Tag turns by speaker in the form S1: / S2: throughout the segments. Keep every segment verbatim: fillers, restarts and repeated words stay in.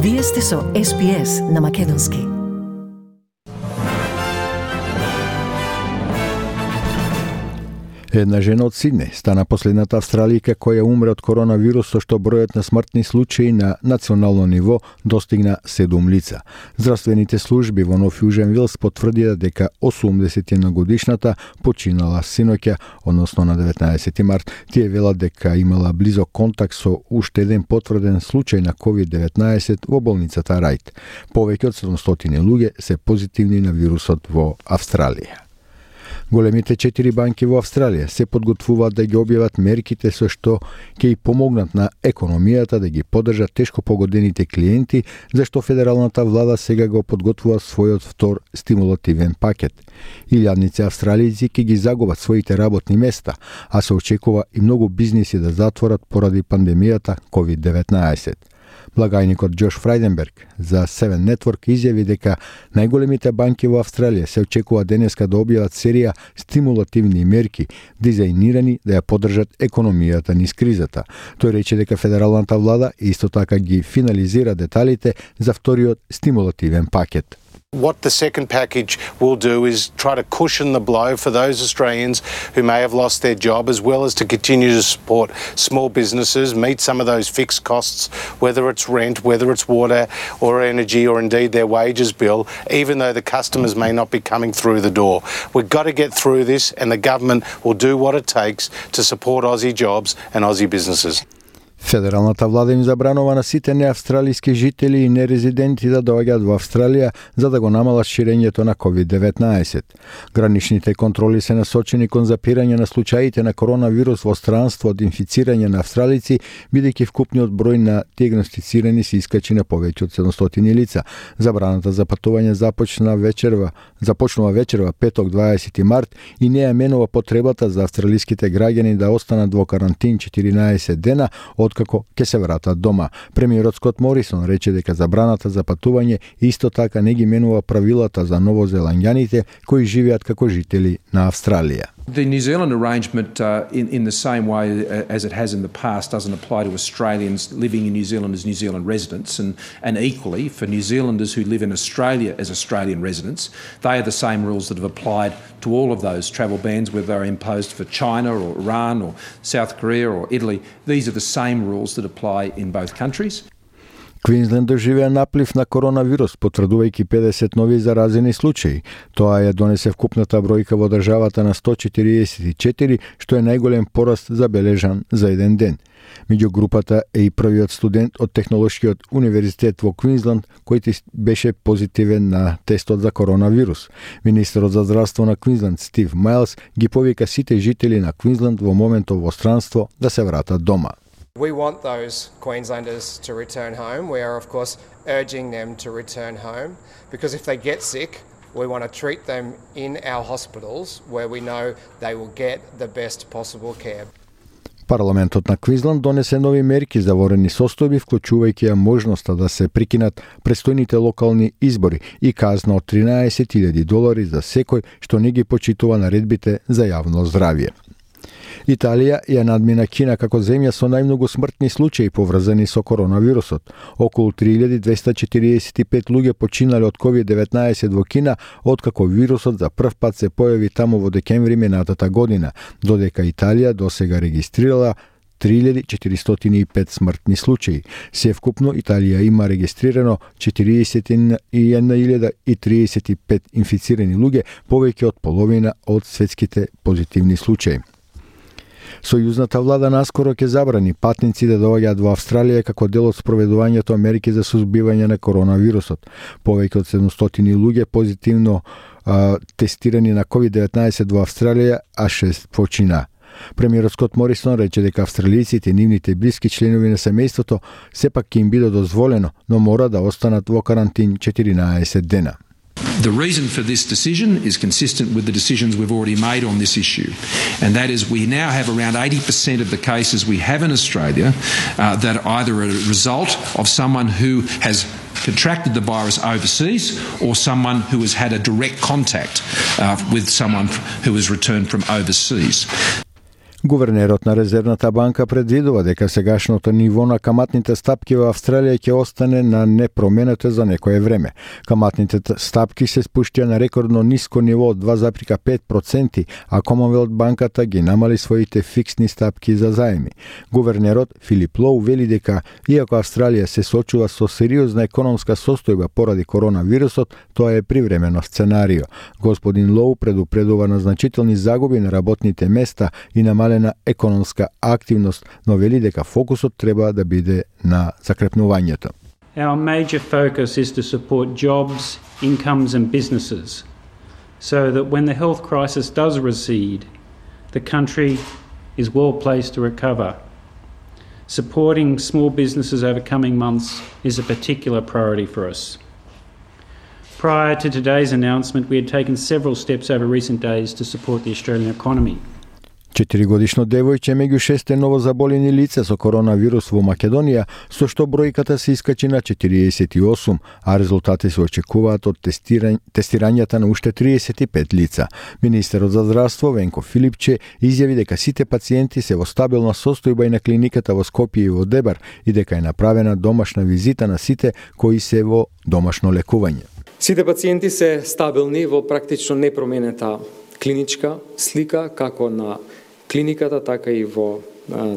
S1: Вие сте со Ес Би Ес на Македонски.
S2: Една жена од Сиднеј стана последната австралијка која умре од коронавирус, со што бројот на смртни случаи на национално ниво достигна седум лица. Здравствените служби во Нов Јужен Вилс потврдија дека осумдесет и една годишната починала синоќа, односно на деветнаесети март. Тие велат дека имала близок контакт со уште еден потврден случај на ковид деветнаесет во болницата Рајт. Повеќе од седумстотини луѓе се позитивни на вирусот во Австралија. Големите четири банки во Австралија се подготвуваат да ги објават мерките со што ќе и помогнат на економијата да ги поддржат тешко погодените клиенти, зашто федералната влада сега го подготвува својот втор стимулативен пакет. Илјадници австралијци ќе ги загубат своите работни места, а се очекува и многу бизниси да затворат поради пандемијата ковид деветнаесет. Благајникот Џош Фрајденберг за Севен Network изјави дека најголемите банки во Австралија се очекува денеска да објават серија стимулативни мерки дизајнирани да ја поддржат економијата низ кризата. Тој рече дека федералната влада исто така ги финализира деталите за вториот стимулативен пакет.
S3: What the second package will do is try to cushion the blow for those Australians who may have lost their job, as well as to continue to support small businesses, meet some of those fixed costs, whether it's rent, whether it's water or energy, or indeed their wages bill, even though the customers may not be coming through the door. We've got to get through this, and the government will do what it takes to support Aussie jobs and Aussie businesses.
S2: Федералната влада им забранува на сите неавстралиски жители и нерезиденти да доаѓаат во Австралија за да го намалат ширењето на ковид деветнаесет. Граничните контроли се насочени кон запирање на случаите на коронавирус во странство од инфицирање на австралици, бидејќи вкупниот број на диагностицирани се искачи на повеќе од седумстотини лица. Забраната за патување започна вечерва, започнува вечерва петок дваесети март и не ја менува потребата за австралиските граѓани да останат во карантин четиринаесет дена откако ќе се вратат дома. Премиерот Скот Морисон рече дека забраната за патување исто така не ги менува правилата за новозеландјаните кои живеат како жители на Австралија.
S4: The New Zealand arrangement, uh, in, in the same way as it has in the past, doesn't apply to Australians living in New Zealand as New Zealand residents, and, and equally for New Zealanders who live in Australia as Australian residents, they are the same rules that have applied to all of those travel bans, whether they're imposed for China or Iran or South Korea or Italy. These are the same rules that apply in both countries.
S2: Квинсленд доживеа наплив на коронавирус, потврдувајќи педесет нови заразени случаи. Тоа ја донесе вкупната бројка во државата на сто четириесет и четири, што е најголем пораст забележан за еден ден. Меѓу групата е и првиот студент од Технолошкиот универзитет во Квинсленд, кој беше позитивен на тестот за коронавирус. Министерот за здравство на Квинсленд Стив Мајлс ги повика сите жители на Квинсленд во моментов во странство да се вратат дома.
S5: We want those Queenslanders to return home. We are, of course, urging them to return home because if they get sick, we want to treat them in our hospitals where we know they will get the best possible care.
S2: Парламентот на Квинсленд донесе нови мерки за ворени состојби, вклучувајќи ја можноста да се прекинат престојните локални избори и казна од тринаесет илјади долари за секој што не ги почитува наредбите за јавно здравје. Италија ја надмина Кина како земја со најмногу смртни случаи поврзани со коронавирусот. Околу три илјади двесте четириесет и пет луѓе починале од ковид деветнаесет во Кина, откако вирусот за прв пат се појави таму во декември минатата година, додека Италија досега регистрирала три илјади четиристотини и пет смртни случаи. Се вкупно Италија има регистрирано четириесет и една илјада и триесет и пет инфицирани луѓе, повеќе од половина од светските позитивни случаи. Сојузната влада наскоро ќе забрани патници да доаѓаат во Австралија како дел од спроведувањето мерки за сузбивање на коронавирусот. Повеќе од седумстотини луѓе позитивно а, тестирани на ковид деветнаесет во Австралија, а шест почина. Премиерот Скот Морисон рече дека австралијците и нивните блиски членови на семејството сепак ќе им биде дозволено, но мора да останат во карантин четиринаесет дена.
S4: The reason for this decision is consistent with the decisions we've already made on this issue, and that is we now have around eighty percent of the cases we have in Australia uh, that are either a result of someone who has contracted the virus overseas or someone who has had a direct contact uh, with someone who has returned from overseas.
S2: Гувернерот на Резервната банка предвидува дека сегашното ниво на каматните стапки во Австралија ќе остане на непроменето за некое време. Каматните стапки се спуштија на рекордно ниско ниво од два зарез пет проценти, а Commonwealth банката ги намали своите фиксни стапки за заеми. Гувернерот Филип Лоу вели дека иако Австралија се соочува со сериозна економска состојба поради коронавирусот, тоа е привремено сценарио. Господин Лоу предупредува на значителни загуби на работните места и намалена економска активност, но вели дека фокусот треба да биде на закрепнувањето.
S6: Our major focus is to support jobs, incomes and businesses so that when the health crisis does recede, the country is well placed to recover. Supporting small businesses over coming months is a particular priority for us. Prior to today's announcement, we had taken several steps over recent days to support the Australian economy.
S2: Четиригодишно девојче меѓу шесте новозаболени лица со коронавирус во Македонија, со што бројката се искачи на четириесет и осум, а резултати се очекуваат од тестирањ... тестирањата на уште триесет и пет лица. Министерот за здравство Венко Филипче изјави дека сите пациенти се во стабилна состојба и на клиниката во Скопје и во Дебар и дека е направена домашна визита на сите кои се во домашно лекување.
S7: Сите пациенти се стабилни во практично непроменета клиничка слика, како на клиниката, така и во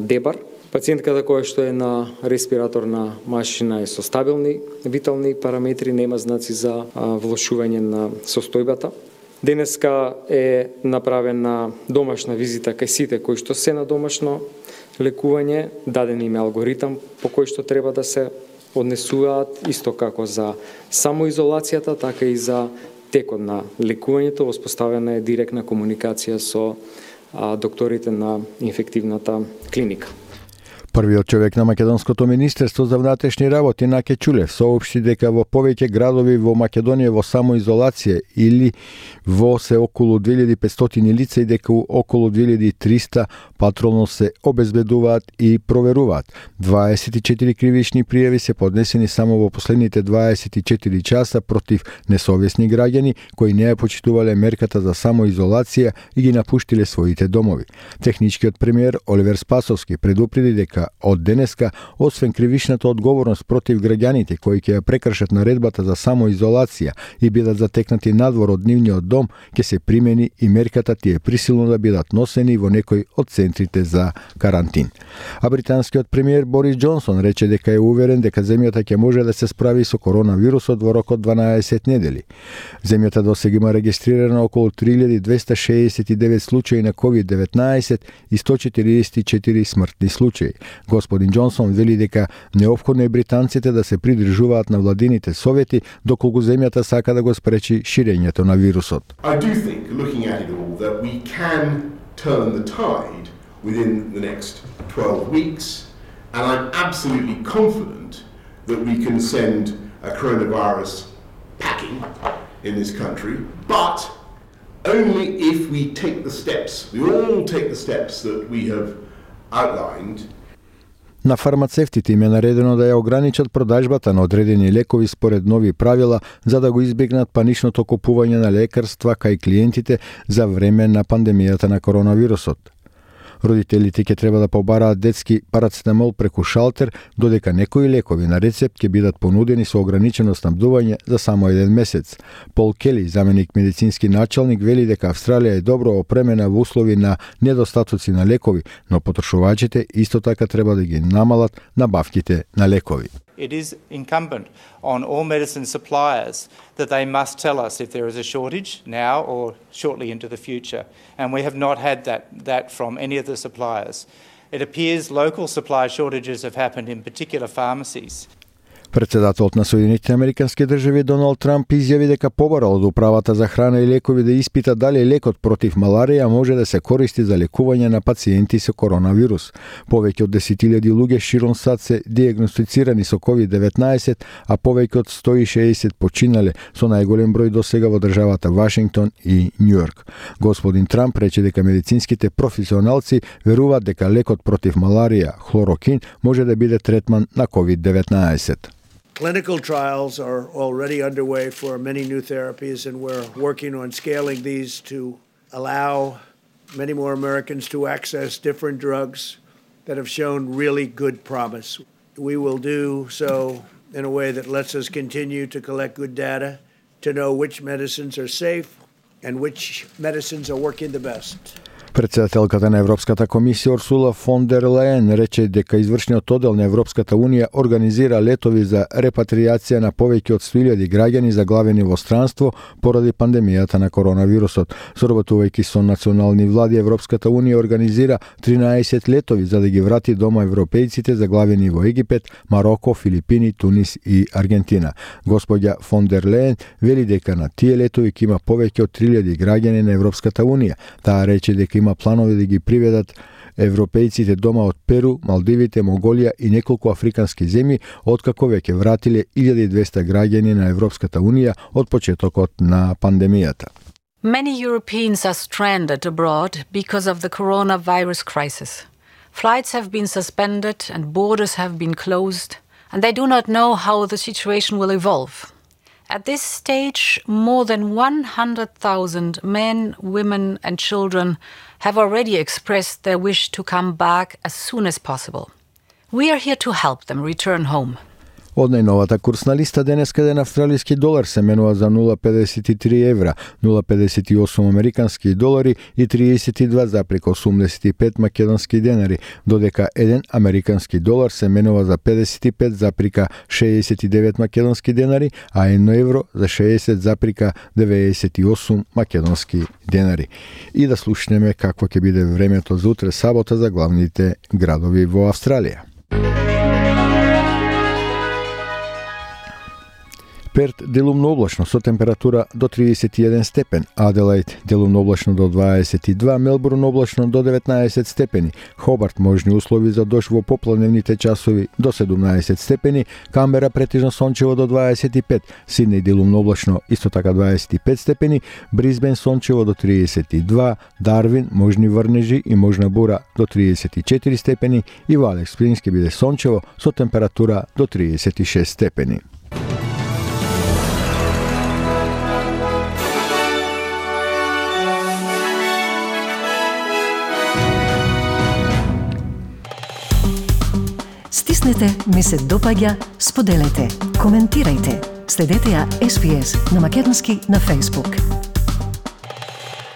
S7: Дебар. Пациентката која што е на респираторна машина е со стабилни витални параметри, нема знаци за влошување на состојбата. Денеска е направена домашна визита кај сите кои што се на домашно лекување, даден им е алгоритам по кој што треба да се однесуваат, исто како за самоизолацијата, така и за текот на лекувањето. Воспоставена е директна комуникација со а, докторите на инфективната клиника.
S2: Првиот човек на Македонското министерство за внатрешни работи Наке Чулев соопшти дека во повеќе градови во Македонија во самоизолација или во се околу две илјади и петстотини лица и дека околу две илјади и триста патролно се обезбедуваат и проверуваат. дваесет и четири кривични пријави се поднесени само во последните дваесет и четири часа против несовесни граѓани кои не ја почитувале мерката за самоизолација и ги напуштиле своите домови. Техничкиот премиер Оливер Спасовски предупреди дека од денеска, освен кривичната одговорност против граѓаните кои ќе ја прекршат наредбата за самоизолација и бидат затекнати надвор од нивниот дом, ќе се примени и мерката тие присилно да бидат носени во некој од центрите за карантин. А британскиот премиер Борис Џонсон рече дека е уверен дека земјата ќе може да се справи со коронавирусот во рок од дванаесет недели. Земјата досега има регистрирано околу три илјади двесте шеесет и девет случаи на ковид деветнаесет и сто четириесет и четири смртни случаи. Господин Џонсон вели дека неопходно е британците да се придржуваат на владините совети доколку земјата сака да го спречи ширењето на вирусот.
S8: I do think, looking at it all, that we can turn the tide within the next twelve weeks, and I'm absolutely confident that we can send a coronavirus packing in this country, but only if we take the steps, we all take the steps that we have outlined.
S2: На фармацевтите им е наредено да ја ограничат продажбата на одредени лекови според нови правила за да го избегнат паничното купување на лекарства кај клиентите за време на пандемијата на коронавирусот. Родителите ќе треба да побараат детски парацетамол преку шалтер, додека некои лекови на рецепт ќе бидат понудени со ограничено снабдување за само еден месец. Пол Кели, заменик медицински началник, вели дека Австралија е добро опремена во услови на недостатоци на лекови, но потрошувачите исто така треба да ги намалат набавките на лекови.
S9: It is incumbent on all medicine suppliers that they must tell us if there is a shortage now or shortly into the future. And we have not had that, that from any of the suppliers. It appears local supply shortages have happened in particular pharmacies.
S2: Председателот на Соединетите Американски држави Доналд Трамп изјави дека побара од управата за храна и лекови да испита дали лекот против маларија може да се користи за лекување на пациенти со коронавирус. Повеќе од десет илјади луѓе широм сад се диагностицирани со ковид деветнаесет, а повеќе од сто и шеесет починале, со најголем број досега во државата Вашингтон и Њујорк. Господин Трамп рече дека медицинските професионалци веруваат дека лекот против маларија, хлорокин, може да биде третман на ковид деветнаесет.
S10: Clinical trials are already underway for many new therapies, and we're working on scaling these to allow many more Americans to access different drugs that have shown really good promise. We will do so in a way that lets us continue to collect good data to know which medicines are safe and which medicines are working the best.
S2: Председателката на Европската комисија Урсула фон дер Лајен рече дека извршниот оддел на Европската унија организира летови за репатријација на повеќе од сто илјади граѓани заглавени во странство поради пандемијата на коронавирусот. Соработувајќи со национални влади, Европската унија организира тринаесет летови за да ги врати дома европејците заглавени во Египет, Мароко, Филипини, Тунис и Аргентина. Господја фон дер Лајен вели дека на тие летови ќе има повеќе од три илјади граѓани на Европската унија. Таа рече дека има планови да ги приведат европејците дома од Перу, Малдивите, Монголија и неколку африкански земји, откако веќе вратиле илјада и двесте граѓани на Европската унија од почетокот на пандемијата.
S11: Many Europeans are stranded abroad because of the coronavirus crisis. Flights have been suspended and borders have been closed, and they do not know how the situation will evolve. At this stage, more than one hundred thousand men, women and children have already expressed their wish to come back as soon as possible. We are here to help them return home.
S2: Од најновата курсна листа денеска еден австралиски долар се менува за нула zarez педесет и три евра, нула zarez педесет и осум американски долари и триесет и два zarez осумдесет и пет македонски денари, додека еден американски долар се менува за педесет и пет zarez шеесет и девет македонски денари, а едно евро за шеесет zarez деветдесет и осум македонски денари. И да слушнеме какво ќе биде времето за утре сабота за главните градови во Австралија. Перт делумно облачно со температура до триесет и еден степен, Аделаид делумно облачно до дваесет и два, Мелбурн облачно до деветнаесет степени, Хобарт можни услови за дожд во попладневните часови до седумнаесет степени, Камбера претежно сончево до дваесет и пет, Сиднеј делумно облачно исто така дваесет и пет степени, Брисбен сончево до триесет и два, Дарвин можни врнежи и можна бура до триесет и четири степени и во Алекс Спрингс ќе биде сончево со температура до триесет и шест степени.
S1: Стиснете, ми се допаѓа, споделете, коментирајте. Следете ја Ес Би Ес на македонски на Facebook.